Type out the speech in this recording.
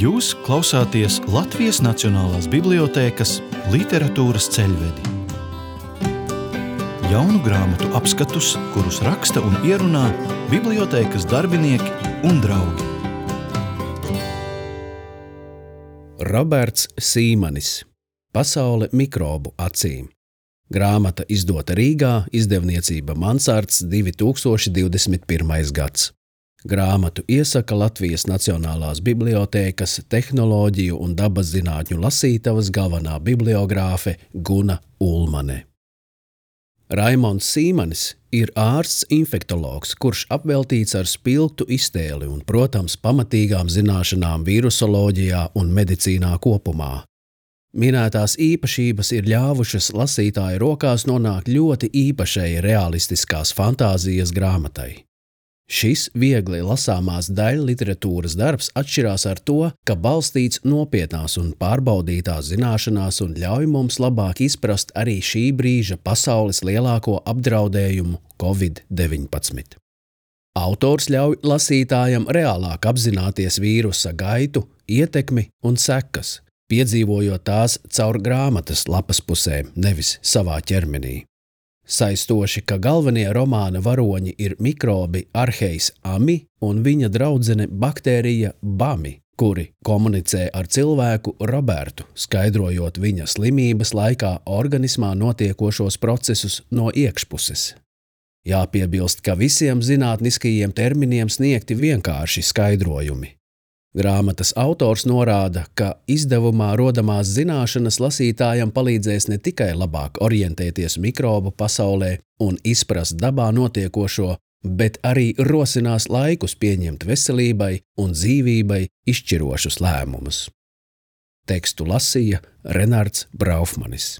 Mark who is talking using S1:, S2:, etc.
S1: Jūs klausāties Latvijas Nacionālās bibliotēkas literatūras ceļvedi. Jaunu grāmatu apskatus, kurus raksta un ierunā bibliotēkas darbinieki un draugi.
S2: Roberts Sīmanis. Pasaule mikrobu acīm. Grāmata izdota Rīgā, izdevniecība Mansards, 2021. gads. Grāmatu iesaka Latvijas Nacionālās bibliotēkas tehnoloģiju un dabas zinātņu lasītavas galvenā bibliogrāfe Guna Ulmane. Raimonds Sīmanis ir ārsts infektologs, kurš apveltīts ar spilgtu iztēli un, protams, pamatīgām zināšanām vīrusoloģijā un medicīnā kopumā. Minētās īpašības ir ļāvušas lasītāju rokās nonākt ļoti īpašai realistiskās fantāzijas grāmatai. Šis viegli lasāmās daļliteratūras darbs atšķirās ar to, ka balstīts nopietnās un pārbaudītās zināšanās un ļauj mums labāk izprast arī šī brīža pasaules lielāko apdraudējumu Covid-19. Autors ļauj lasītājam reālāk apzināties vīrusa gaitu, ietekmi un sekas, piedzīvojot tās caur grāmatas lapas pusēm, nevis savā ķermenī. Saistoši, ka galvenie romāna varoņi ir mikrobi Archejs Ami un viņa draudzene baktērija Bami, kuri komunicē ar cilvēku Robertu, skaidrojot viņa slimības laikā organismā notiekošos procesus no iekšpuses. Jāpiebilst, ka visiem zinātniskajiem terminiem sniegti vienkārši skaidrojumi. Grāmatas autors norāda, ka izdevumā rodamās zināšanas lasītājam palīdzēs ne tikai labāk orientēties mikrobu pasaulē un izprast dabā notiekošo, bet arī rosinās laikus pieņemt veselībai un dzīvībai izšķirošus lēmumus. Tekstu lasīja Renards Braufmanis.